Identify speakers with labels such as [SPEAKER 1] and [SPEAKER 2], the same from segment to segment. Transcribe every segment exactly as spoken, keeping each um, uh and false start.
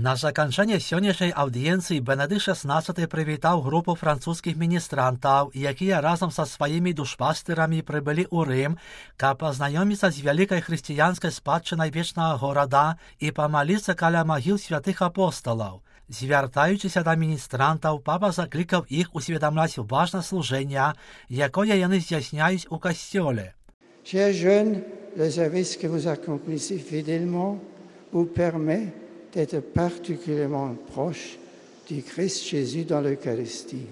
[SPEAKER 1] На заканчэнне сённяшняй аўдыенцыі Бенедыкт шаснаццаты прывітаў групу французскіх міністрантаў, якія разам са сваімі душпастырамі прыбылі ў Рым, каб пазнаёміцца з вялікай хрысціянскай спадчынай вечнага горада і памаліцца каля магіл святых апосталаў. Звяртаючыся да міністрантаў, папа заклікаў іх усведамляць важнасць служэння, якое яны здзяйсняюць у касцёле.
[SPEAKER 2] Chers jeunes, le service que vous accomplissez fidèlement vous permet d'être particulièrement proche du Christ Jésus dans l'Eucharistie.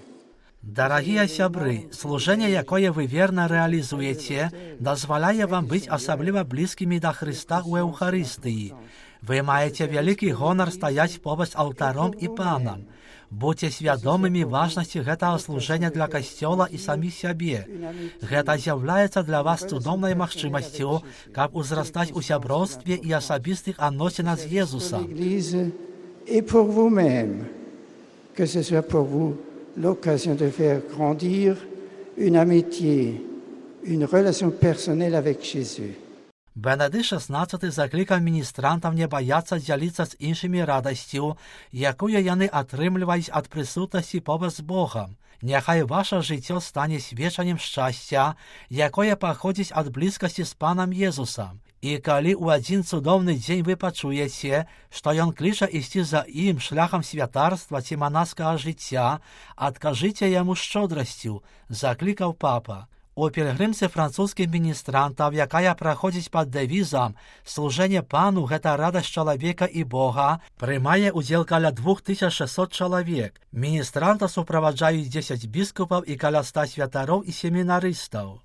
[SPEAKER 1] Дарагія сябры, служэнне, якое вы верна рэалізуеце, дазваляе вам быць асабліва блізкімі да Хрыста ў Еўхарыстыі. Вы маеце вялікі гонар стаяць побач з алтаром і панам. Будьце свядомымі важнасці гэтага служэння для касцёла і саміх сябе. Гэта з'яўляецца для вас цудоўнай магчымасцю, каб узрастаць у сяброўстве і асабістых адносінах з Езусам.
[SPEAKER 2] Et pour vous-même, que ce soit pour vous l'occasion de faire grandir une amitié, une relation personnelle avec Jésus.
[SPEAKER 1] Бенедыкт шаснаццаты заклікаў міністрантам не баяцца дзяліцца з іншымі радасцю, якую яны атрымліваюць ад прысутнасці побач з Богам. Няхай ваша жыццё стане сведчаннем шчасця, якое паходзіць ад блізкасці з Панам Езусам. І калі ў адзін цудоўны дзень вы пачуеце, што ён кліча ісці за ім шляхам святарства ці манаскага жыцця, адкажыце яму шчодрасцю, заклікаў папа. У пілгрымцы французскіх міністрантаў, якая праходзіць пад дэвізам «Служэнне Пану – гэта радасць чалавека і Бога», прымае ўдзел каля двух тысяч шэсцьсот чалавек. Міністранта суправаджаюць дзесяць біскупаў і каля ста святароў і семінарыстаў.